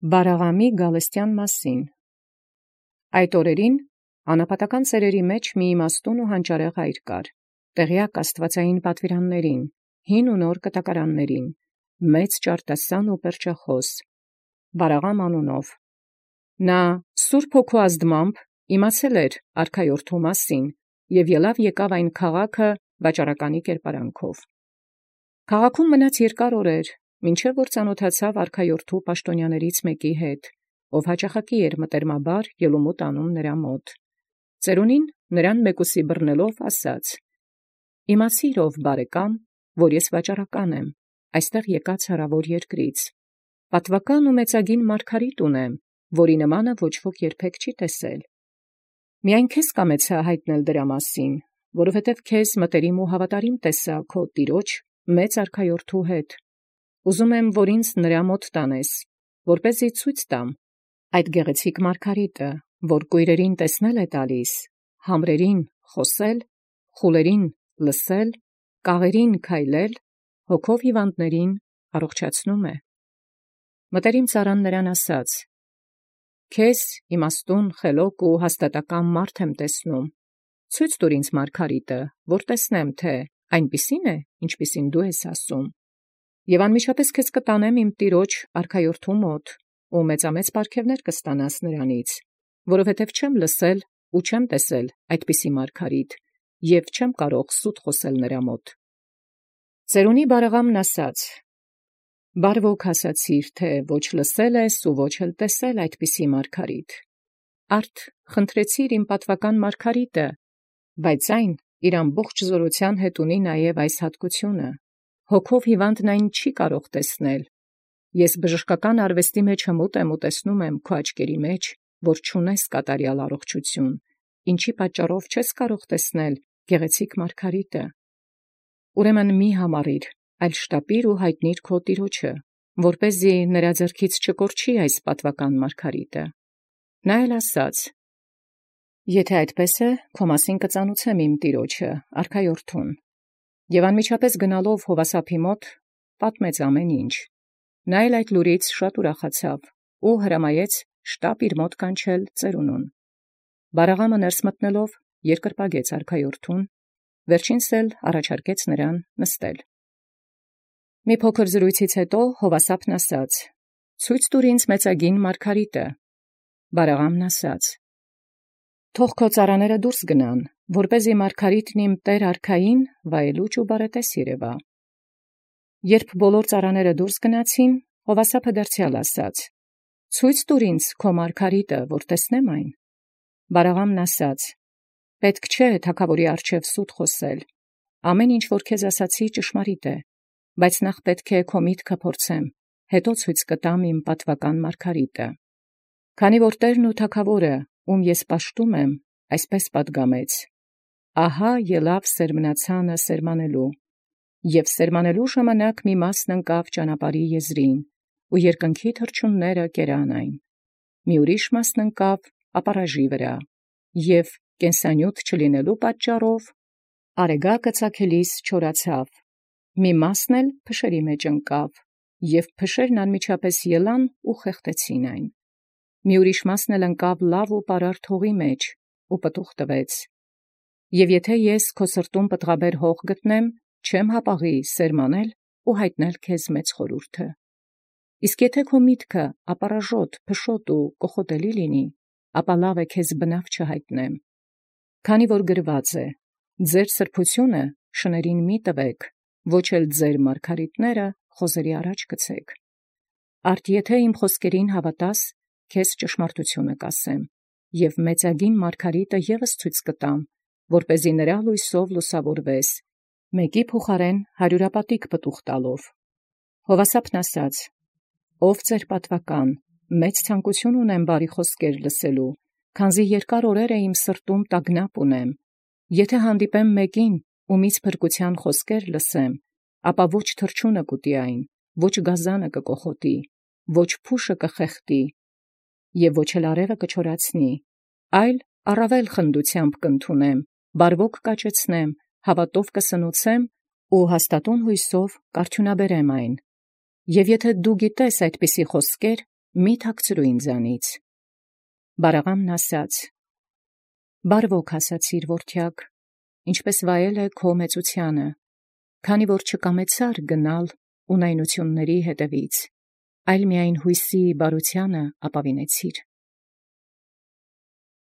Բարաղամի Գալստյան մասին։ Այդ օրերին անապատական ծերերի մեջ մի իմաստուն ու հանճարեղ հայր կար, տեղյակ աստվածային պատվիրաններին, հին ու նոր կտակարաններին, մեծ ճարտասան ու պերճախոս, Բարաղամ անունով։ Նա Սուրբ Հոգու ազդմամբ իմացել էր արքայորդու մասին և ելավ եկավ այն քաղաքը վաճառականի կերպարանքով։ Քաղաքում մնաց երկար օրեր, մինչև որ ծանոթացավ արքայորդու պաշտոնյաներից մեկի հետ, ով հաճախակի էր մտերմաբար ելումուտ անում նրա մոտ։ Ծերունին նրան մեկուսի բռնելով ասաց. «Իմացիր ով բարեկամ, որ ես վաճառական եմ, այստեղ եկած հեռավոր երկրից, պատվական ու մեծագին մարգարիտ ունեմ, որի նմանը ոչ ոք երբեք չի տեսել։ Միայն քեզ կամեցա հայտնել դրա մասին, որովհետև քեզ մտերիմ ու հավատարիմ տեսա քո տիրոջ մեծ արքայորդու հետ։ Ուզում եմ, որ ինձ նրա մոտ տանես, որպեսզի ցույց տամ այդ գեղեցիկ մարգարիտը, որ կույրերին տեսնել է տալիս, համրերին խոսել, խուլերին լսել, կաղերին քայլել, հոգով հիվանդներին առողջացնում է»։ Մտերիմ ծառան նրան ասաց. «Քեզ իմաստուն, խելոք ու հաստատակամ մարդ եմ տեսնում, ցույց տուր ինձ մարգարիտը, որ տեսնեմ, թե այնպիսի՞ն է, ինչպիսին դու ես ասում։ Եվ անմիջապես քեզ կտանեմ իմ տիրոջ արքայորդու մոտ, ու մեծամեծ պարգևներ կստանաս նրանից, որովհետև չեմ լսել ու չեմ տեսել այդպիսի մարգարիտ, և չեմ կարող սուտ խոսել նրա մոտ»։ Ծերունի Բարաղամն ասաց. «Բարվոք ասացիր, թե ոչ լսել ես ու ոչ էլ տեսել այդպիսի մարգարիտ։ Արդ խնդրեցիր իմ պատվական մարգարիտը, բայց այն իր ամբողջ զորության հետ ունի նաև այս հատկությունը. հոգով հիվանդն այն չի կարող տեսնել։ Ես բժշկական արվեստի մեջ հմուտ եմ ու տեսնում եմ քո աչքերի մեջ, որ չունես կատարյալ առողջություն, ինչի պատճառով չես կարող տեսնել գեղեցիկ մարգարիտը։ Ուրեմն մի համառիր, այլ շտապիր ու հայտնիր քո տիրոջը, որպեսզի նրա ձեռքից չկորչի այս պատվական մարգարիտը։ Նա էլ ասաց. «Եթե այդպես է, քո մասին կծանուցեմ իմ տիրոջը, արքայորդուն»։ Եվ անմիջապես գնալով Հովասափի մոտ պատմեց ամեն ինչ։ Նա էլ այդ լուրից շատ ուրախացավ ու հրամայեց շտապ իր մոտ կանչել ծերունուն։ Բարաղամը ներս մտնելով երկրպագեց արքայորդուն, վերջինս էլ առաջարկեց նրան նստել։ Մի փոքր զրույցից հետո Հովասափն ասաց. «Ցույց տուր ինձ մեծագին մարգարիտը»։ Բարաղամն ասաց. «Թող քո ծառաները դուրս գնան, որպեսզի մարգարիտն իմ տեր արքային վայելուչ ու բարետես երևա»։ Երբ բոլոր ծառաները դուրս գնացին, Հովասափը դարձյալ ասաց. «Ցույց տուր ինձ քո մարգարիտը, որ տեսնեմ այն»։ Բարաղամն ասաց. «Պետք չէ թագավորի առջև սուտ խոսել. ամեն ինչ, որ քեզ ասացի, ճշմարիտ է, բայց նախ պետք է քո միտքը փորձեմ, հետո ցույց կտամ իմ պատվական մարգարիտը։ Քանի որ Տերն ու թագավորը, ում ես պաշտում եմ, այսպես պատգամեց. ահա ելավ սերմնացանը սերմանելու, և սերմանելու ժամանակ մի մասն ընկավ ճանապարհի եզրին, ու երկնքի թռչունները կերան այն, մի ուրիշ մասն ընկավ ապարաժի վրա, և կենսանյութ չլինելու պատճառով արեգակը ծագելիս չորացավ, մի մասն էլ փշերի մեջ ընկավ, և փշերն անմիջապես ելան ու խեղդեցին այն, մի ուրիշ մասն էլ ընկավ լավ ու պարարտ հողի մեջ ու պտուղ տվեց։ Եվ եթե ես քո սրտում պտղաբեր հող գտնեմ, չեմ հապաղի սերմանել ու հայտնել քեզ մեծ խորհուրդը։ Իսկ եթե քո միտքը ապարաժոտ, փշոտ ու կոխոտելի լինի, ապա լավ է քեզ բնավ չհայտնեմ։ Քանի որ գրված է. «Ձեր սրբությունը շներին մի տվեք, ոչ էլ ձեր մարգարիտները խոզերի առաջ գցեք»։ Արդ եթե իմ խոսքերին հավատաս, քեզ ճշմարտությունը կասեմ, և մեծագին մարգարիտը ևս ցույց կտամ, որպեսզի նրա լույսով լուսավորվես, մեկի փոխարեն 100 պտուղ տալով։ Հովասափն ասաց. «Ով ձեր պատվական, մեծ ցանկություն ունեմ բարի խոսքեր լսելու, քանզի երկար օրեր է իմ սրտում տագնապ ունեմ։ Եթե հանդիպեմ մեկին, ումից փրկության խոսքեր լսեմ, ապա ոչ թռչունը կուտի այն, ոչ գազանը կկոխոտի, ոչ փուշը կխեղդի, և ոչ էլ արևը կչորացնի, այլ առավել խնդությամբ կընդունեմ, բարվոք կաճեցնեմ, հավատով կսնուցեմ ու հաստատուն հույսով կարդյունաբերեմ այն։ Եվ եթե դու գիտես այդպիսի խոսքեր, մի թաքցրու ինձանից։ Բարաղամն ասաց. Բարվոք ասացիր որդյակ, ինչպես վայել է քո մեծությանը, քանի որ չկամեցար գնալ ունայնությունների հետևից, այլ միայն հույսի բարությանը ապավինեցիր։